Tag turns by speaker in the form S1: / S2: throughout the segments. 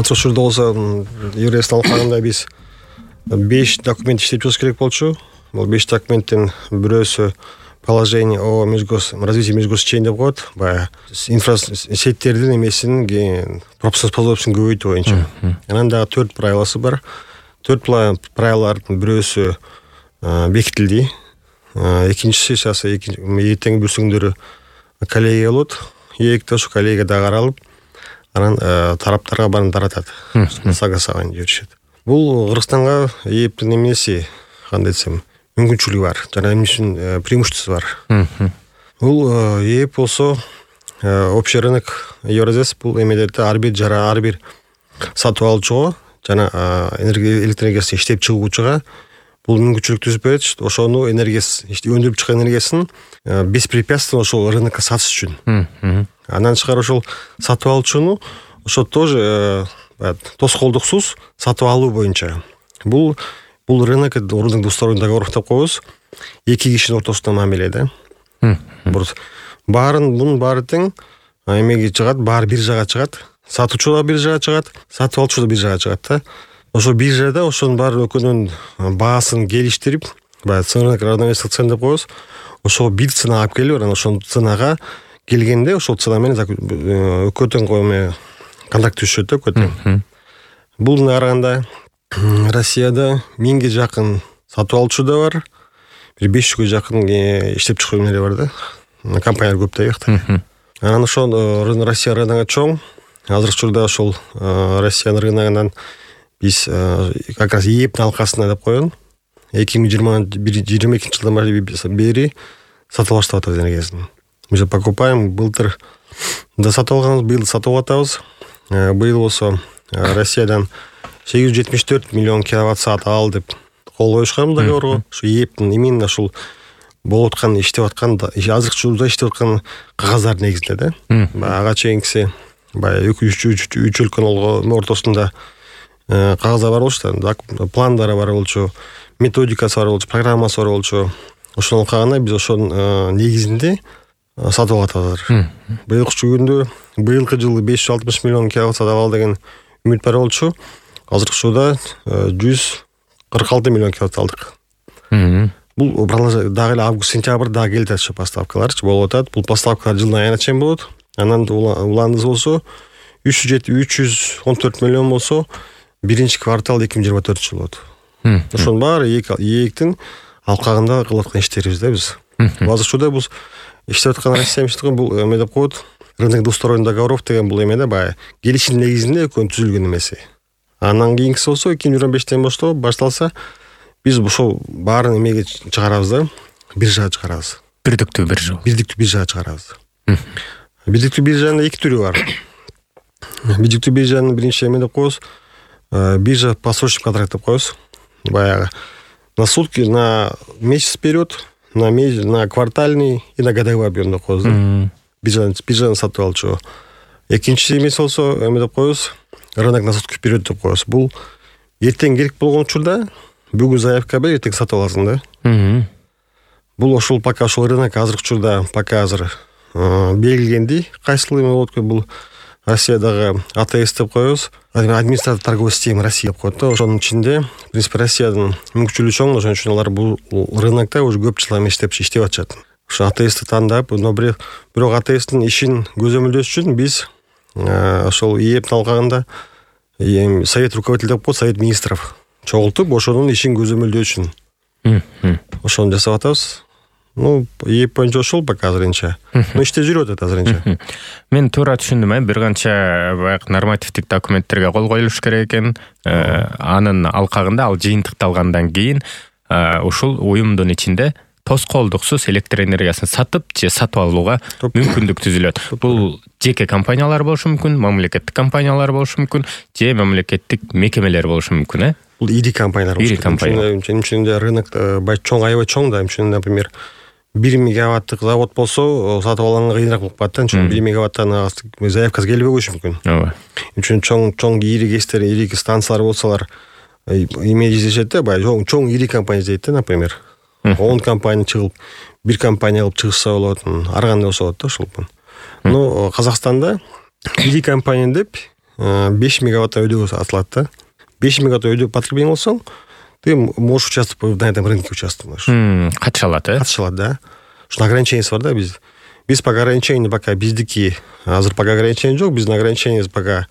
S1: азыркы учурда болсо Еврейстин алкагында биз 5 документ иштеп чыгыш керек болчу. Бул 5 документтин бирөөсү положение о развитии межгосечения деп коет. Баягы сеттердин эмесин пропускоспособностьун көбөйтүү боюнча. Анан дагы 4 правиласы бар. 4 правилалардын бирөөсү бекитилди. Экинчиси сейчас эртең бүрсүңдөрү коллегия болот. Экинчи ошо коллегия дагы каралып, анан тараптарга баарын таратат. Согласование жүрүшөт. Бул Кыргызстанга ээптин эмеси, кандай десем, мүмкүнчүлүгү бар. Жана эмне үчүн преимуществосу бар. Бул ээп болсо общий рынок Евразес бул эмедерде ар бир сатып алуучуга жана электроэнергиясын иштеп чыгуучуга бул мүмкүнчүлүк түзүп берет. Ошону өндүрүп чыккан энергиясын беспрепятственно ошол рынокко сатыш үчүн. Андан тышкары ошол сатып алуучуну ошо тоже тоскоолдуксуз сатып алуу боюнча. Бул рынок двусторонний договор деп коебуз. Эки кишинин ортосунда мамиле да. Бунун баары тең эмеге чыгат, баары биржага чыгат. Сатуучу да биржага чыгат, сатып алуучу да биржага чыгат да. Ошо биржада ошонун баары экөөнүн баасын келиштирип, баягы рынок равновесие цен деп коебуз. Ошо бир цена алып келип, анан ошол ценага келгенде ошол цена менен экөөтөң контракт түзүшөт да экөөтөң. Бул караганда Россияда 1000ге жакын сатып алуучу да бар, бир 500ге жакын иштеп чыгуу эмелери бар да. Компаниялар көп да бияқта. Анан ошол Россия рыногу чоң. Азыркы учурда ошол Россиянын рыногунан биз как раз ээптин алкасына деп койгон 2022 жылдан бери сатып баштап атабыз энергиясын. Мы покупаем, былтыр да сатып алганбыз, быйыл сатып атабыз. Быйыл болсо Россиядан 874 миллион киловатт саат ал деп кол коюшкан договорго. Ушу ээптин именно ушул болуп аткан, иштеп аткан, азыркы учурда иштеп аткан кагаздардын негизинде да. Ага чейинкиси баягы 3 өлкөнүн ортосунда кагаздар бар болчу да, пландары бар болчу, методикасы бар болчу, программасы бар болчу. Ошонун алкагында биз ошонун негизинде сатып атабыз. Быйылкы күндө, быйылкы жылы 560 миллион киловатт сатып ал деген үмүт бар болчу. Азыркы учурда 146 миллион киловатт алдык. Бул дагы эле август-сентябрь дагы келет ошо поставкаларчы болуп атат. Бул поставкалар жылдын айына чейин болот. Анан уланыбыз болсо 314 миллион болсо биринчи квартал 2024 жыл болот. Ошонун баары ээктин алкагында кылып аткан иштерибиз да биз. Азыркы учурда бул иштеп аткан Россия бул эме деп коет. Рынок двусторонних договоров деген бул эме да баягы келишим негизинде экөөнүн түзүлгөн эмеси. Андан кийинкиси болсо 2025-тен башталса биз ошол баарын эмеге чыгарабыз да, биржага чыгарабыз. Бирдиктүү биржага чыгарабыз. Бирдиктүү биржанын эки түрү бар. Бирдиктүү биржанын биринчи эме деп коебуз, биржа посрочный контракт деп коебуз. Баягы на сутки, на месяц вперед, на квартальный и на годовой объем деп коебуз да. Биржаны сатып алчу. Экинчи эмес болсо эме деп коебуз, рынок на сутки вперед деп коебуз. Бул эртең керек болгон учурда бүгүн заявка бер, эртең сатып аласың да. Бул ошол пока ошол рынок азыркы учурда пока азыр белгиленди. Кайсыл эме болот экен бул Россиядагы АТС деп коебуз. Административный торговая система Россия деп коет да. Ошонун ичинде, в принципе, Россиянын мүмкүнчүлүгү чоң, ошон үчүн алар бул рынокто уже көп жыл иштеп атышат. Ошо АТСти тандап, но бирок АТСтин ишин көзөмөлдөш үчүн биз ошол ээптин алкагында совет руководителей деп коет, совет министров чогултуп, ошонун ишин көзөмөлдөө үчүн ошону жасап атабыз. ээп боюнча ошол пока азырынча. Иштеп жүрүп атат азырынча.
S2: Мен туура түшүндүм, бир канча баягы нормативдик документтерге кол коюлуш керек экен. Анын алкагында ал жыйынтыкталгандан кийин ушул уюмдун ичинде тоскоолдуксуз электр энергиясын сатып же сатып алууга мүмкүндүк түзүлөт. Бул жеке компаниялар болушу мүмкүн, мамлекеттик компаниялар болушу мүмкүн, же мамлекеттик мекемелер болушу мүмкүн,
S1: Бул ири компаниялар болушу
S2: мүмкүн.
S1: Үчүндө рынок чоң, аябай чоң да. Например, 1 мегаваттык завод болсо, сатып алганга кыйыныраак болуп калат да. 1 мегаваттан заявкасы келбей коюшу мүмкүн.
S2: Ооба.
S1: Үчүн чоң ири кестер, ири станциялар болсолар, эме издешет да, баягы чоң ири компания издейт да, например. 10 компания чыгып, бир компания кылып чыгышса болот, ар кандай болсо болот да ошол. Казакстанда ири компания деп 5 мегаватт өйдө атылат да. 5 мегаватт өйдө потребление болсоң, ты можешь участвовать на этом рынке участвовать.
S2: Катыша алат,
S1: Катыша алат, да. Что ограничениеси бар да Биз пока ограничение пока биздики азыр пока ограничение жок. Биздин ограничение пока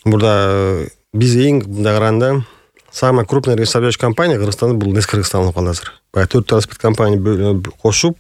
S1: мурда биз эң мындай караганда самая крупная энергоснабжающая компания Кыргызстанда бул Нес Кыргызстан болуп калды азыр. Баягы 4 транспорт компания кошуп,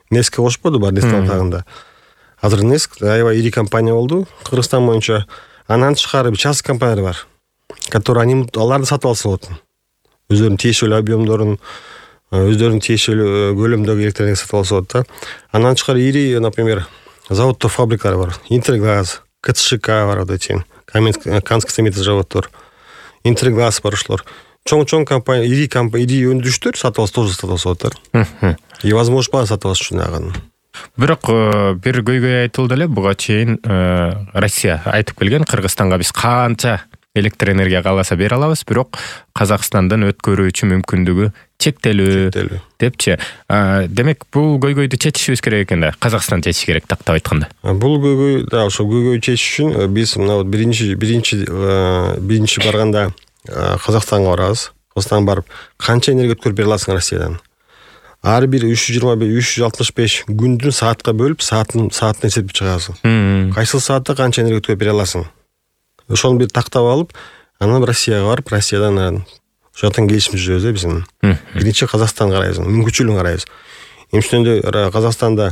S1: Неске кошподу бар Нестин тагында. Азыр Нес аябай ири компания болду Кыргызстан боюнча. Анан тышкары частный компаниялар бар, которые аларды сатып алса болот. Өздөрүнүн тиешелүү объемдорун, өздөрүнүн тиешелүү көлөмдөгү электр энергия сатып алса болот да. Андан тышкары ири, например, заводдор, фабрикалар бар. Интергаз, КЦШК бар, вот эти Каменский цементный заводдор, Интергаз бар ушулар. Чоң компания, ири өндүрүштөр сатып алса тоже сатып алса болот да. И возможность бар сатып алыш үчүн аган.
S2: Бирок бир көйгөй айтылды эле, буга чейин Россия айтып келген, Кыргызстанга биз канча электр энергия кааласа бере алабыз, бирок Казакстандан өткөрүүчү мүмкүндүгү чектелүү депчи. Демек, бул көйгөйдү чечишибиз керек экен да. Казакстан чечиш керек, тактап айтканда.
S1: Бул көйгөй, да, ошо көйгөй чечиш үчүн биз мына биринчи барганда Казакстанга барабыз. Казакстанга барып, канча энергия өткөрүп бере аласың Россиядан? Ар бир 365 күндүн саатка бөлүп, саатын эсептеп чыгасың. Кайсы саатта канча энергия өткөрүп бере аласың? Ошону бир тактап алып, анан Россияга барып, Россиядан ошондон келишим түзөбүз биз. Биринчи Казакстанга карайбыз, мүмкүнчүлүгүн карайбыз. Эмчтенде Казакстанда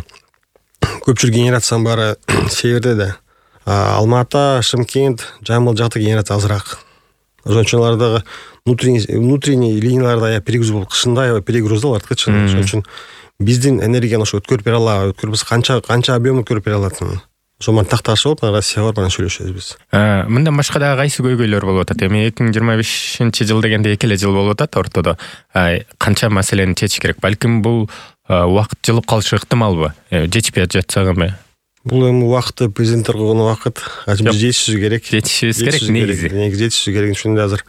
S1: көпчүлүк генерациянын баары северде да. Алматы, Шымкент, Жамбыл жакта генерация азыраак. Ошон үчүн алардагы внутренний линияларда аябай перегруз болуп, кышында аябай перегруз да арткачы. Ошон үчүн биздин энергияны ошо өткөрүп бере алабы, өткөрүп канча объем өткөрүп бере алатын. Ошону такташ болуп, Россияга барып сүйлөшөбүз биз.
S2: Мындан башка да кайсы көйгөйлөр болуп атат? Эми 2025-жыл дегенде 2 эле жыл болуп атат ортодо. Канча маселени чечиш керек? Балким бул убакыт жылып калышы ыктымалбы? Жетишпей жатсак эми.
S1: Бул эми убакытты президенттер койгон убакыт. Биз жетишибиз керек.
S2: Жетишибиз керек негизи.
S1: Негизи жетишибиз керек. Ошондо азыр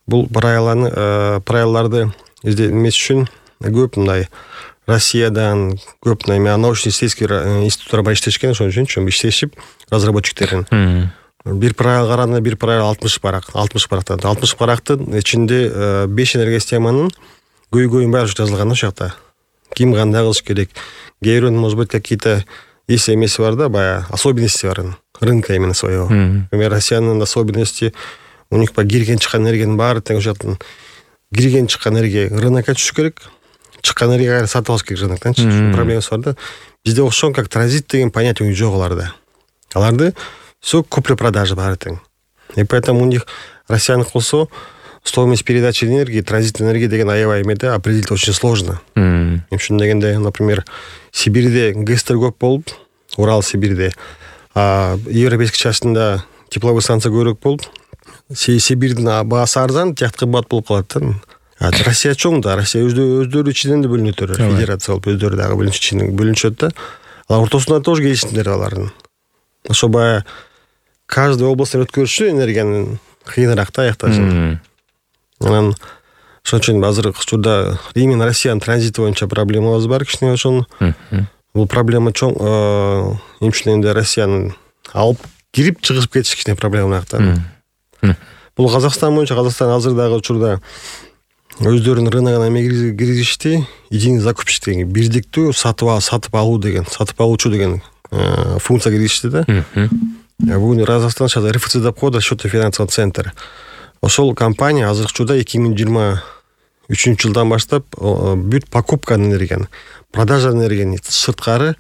S1: бул правиларды эмес үчүн көп мындай Россиядан көп научно-исследовательский институттар бар иштешкен, ошон үчүн иштешип разработчиктерин. Бир правил караганда бир правил 60 барактан. 60 барактын ичинде 5 энергосистеманын көйгөйүн баары жазылган ошол жакта. Ким кандай кылыш керек? Кээ бирөөнүн, может быть, какие-то есть эмеси бар да, баягы особенности бар рынка именно своего. Например, Россиянын особенности, у них по кирген чыккан энергиянын баары тең ошол жактан кирген чыккан энергия рынокко түшүш керек. Чыккан энергияны сатып алыш керек рыноктон. Проблемасы бар да. Бизде окшон как транзит деген понятие жок аларда. Аларды все купля-продажа баары тең. И поэтому у них Россиянын болсо стоимость передачи энергии, транзитной энергии деген аябай эмеде определить очень сложно. Ошон дегенде, например, Сибирьде ГЭСтер көп болуп, Урал Сибирьде, европейский частында тепловой станция көбүрөөк болуп, Сибирьдин баасы арзан, тияк кымбат болуп калат да. Россия чоң да, Россия өздөрү ичинен да бөлүнөт, федерация болуп өздөрү дагы бөлүнүшөт да. Ал ортосунда тоже келишимдер алардын. Ошо баягы каждый областтан өткөрүшү энергиянын кыйыныраак да аякташын. Анан ошон үчүн азыр учурда именно Россиянын транзити боюнча проблемабыз бар кичине ошону. Бул проблема чоң, эмчинде Россиянын алып кирип чыгып кетиш кичине проблемалаак да. Бул Казакстан боюнча, Казакстан азыр дагы учурда өздөрүнүн рыногуна эме киргизишти, единый закупщик деген, бирдиктүү сатып алуучу деген функция киргизишти да. Бүгүн Казакстан сейчас РФЦ деп коет, расчетный финансовый центр. Ошол компания азыркы учурда 2023 жылдан баштап бүт покупка энергияны, продажа энергияны сырткары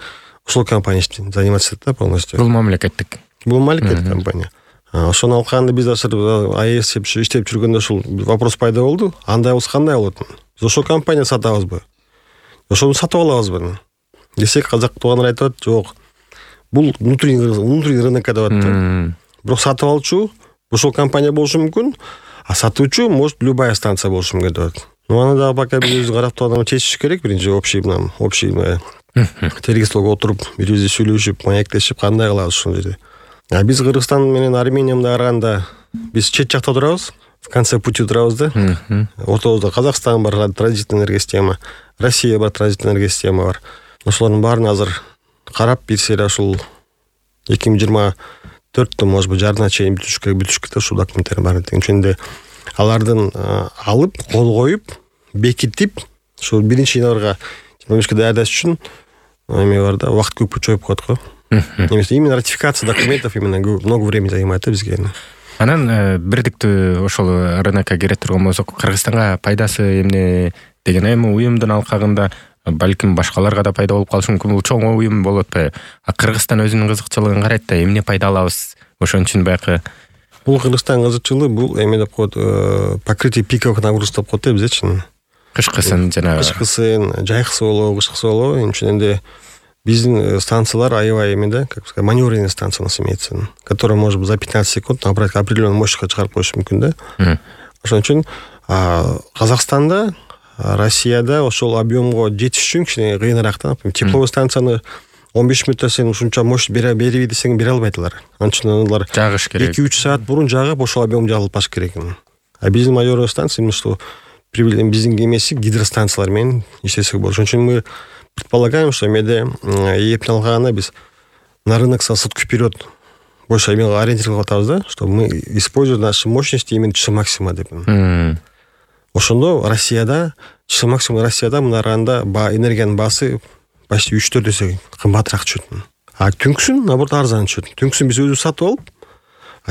S1: ошол компания заниматься да полностью.
S2: Бул мамлекеттик
S1: компания. Ошону алканда биз АЭС иштеп жүргөндө ушул вопрос пайда болду. Андай болсо кандай болот? Биз ошол компания сатабызбы? Ошону сатып алабызбы? Десек, казак туугандар айтып атат, жок. Бул внутренний рынокко деп атат. Бирок сатып алчу ошол компания болушу мүмкүн, а сатуучу может любая станция болушу мүмкүн деп атат. Аны дагы пока биз карап турган чечиш керек, биринчи общий тергестолго отуруп, бирибизди сүйлөшүп, маектешип, кандай кылабыз ушул жерде. Биз Кыргызстан менен Армения менен караганда биз чет жакта турабыз, в конце пути турабыз да. Ортобузда Казакстан бар, транзитный энергосистема, Россия бар, транзитный энергосистема бар. Ошолордун баарын азыр карап, бир сере ушул 2024 4 может быть жарына чейин бүтүш керек ушул документтердин баары. Ошондо алардын алып кол коюп бекитип ушул 1-январга 25 даярдаш үчүн эме бар да, убакыт көп чоюп коет го. Именно ратификация документов именно много времени занимает бизге.
S2: Анан бирдиктүү ошол рынокко кире турган болсок, Кыргызстанга пайдасы эмне деген эми уюмдун алкагында балким башкаларга да пайда болуп калышы мүмкүн. Бул чоң уюм болуп атпайбы? Кыргызстан өзүнүн кызыкчылыгын карайт да, эмне пайда алабыз? Ошон үчүн баягы
S1: бул Кыргызстан кызыкчылыгы бул эме деп коет, покрытие пиковых нагрузок деп коет бизчи.
S2: Кышкысын жанагы
S1: кышкысын, жайкысы болобу, кышкысы болобу. Ошондо биздин станциялар аябай эме да, как сказать, маневренный станция у нас имеется, которая может за 15 секунд набрать определенную мощность чыгарып коюшу мүмкүн да. Ошон үчүн Казакстанда, Россияда ошол объемго жетиш үчүн кичине кыйыныраак да. Тепловой станцияны 15 мүнөттө сен ушунча мощность бериби десең бере албайт алар. Анын үчүн алар
S2: жагыш керек.
S1: 2-3 саат бурун жагып ошол объем жагылып баш керек. А биздин маневренный станция именно что биздин эмеси гидростанциялар менен иштесек болот. Ошон үчүн мы предполагаем, что эмеде эптин алганда биз на рынок со сутки вперед больше ориентировать атабыз да, чтобы мы используем наши мощности именно часы максимума деп. Ошондо Россияда, часы максимум Россияда мына караганда энергиянын баасы почти 3-4 эсе кымбатыраак түшөт. А түнкүсүн наоборот арзан түшөт. Түнкүсүн биз өзүбүз сатып алып,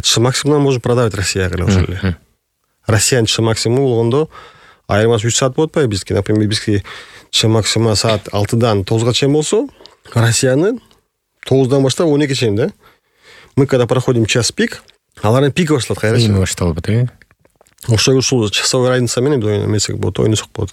S1: часы максимумдан можем продавать Россияга эле ошол эле. Россиянын часы максимуму болгондо айырмасы 3 саат болуп атпайбы бизге, например, бизге часы максимум саат 6-дан 9-га чейин болсо, Россиянын 9-дан баштап 12-ге чейин да. Мы когда проходим час пик, алардын пик башталат кайра.
S2: Эми башталып атат.
S1: Ошол часовой разница менен эмесек болот, ойносок болот.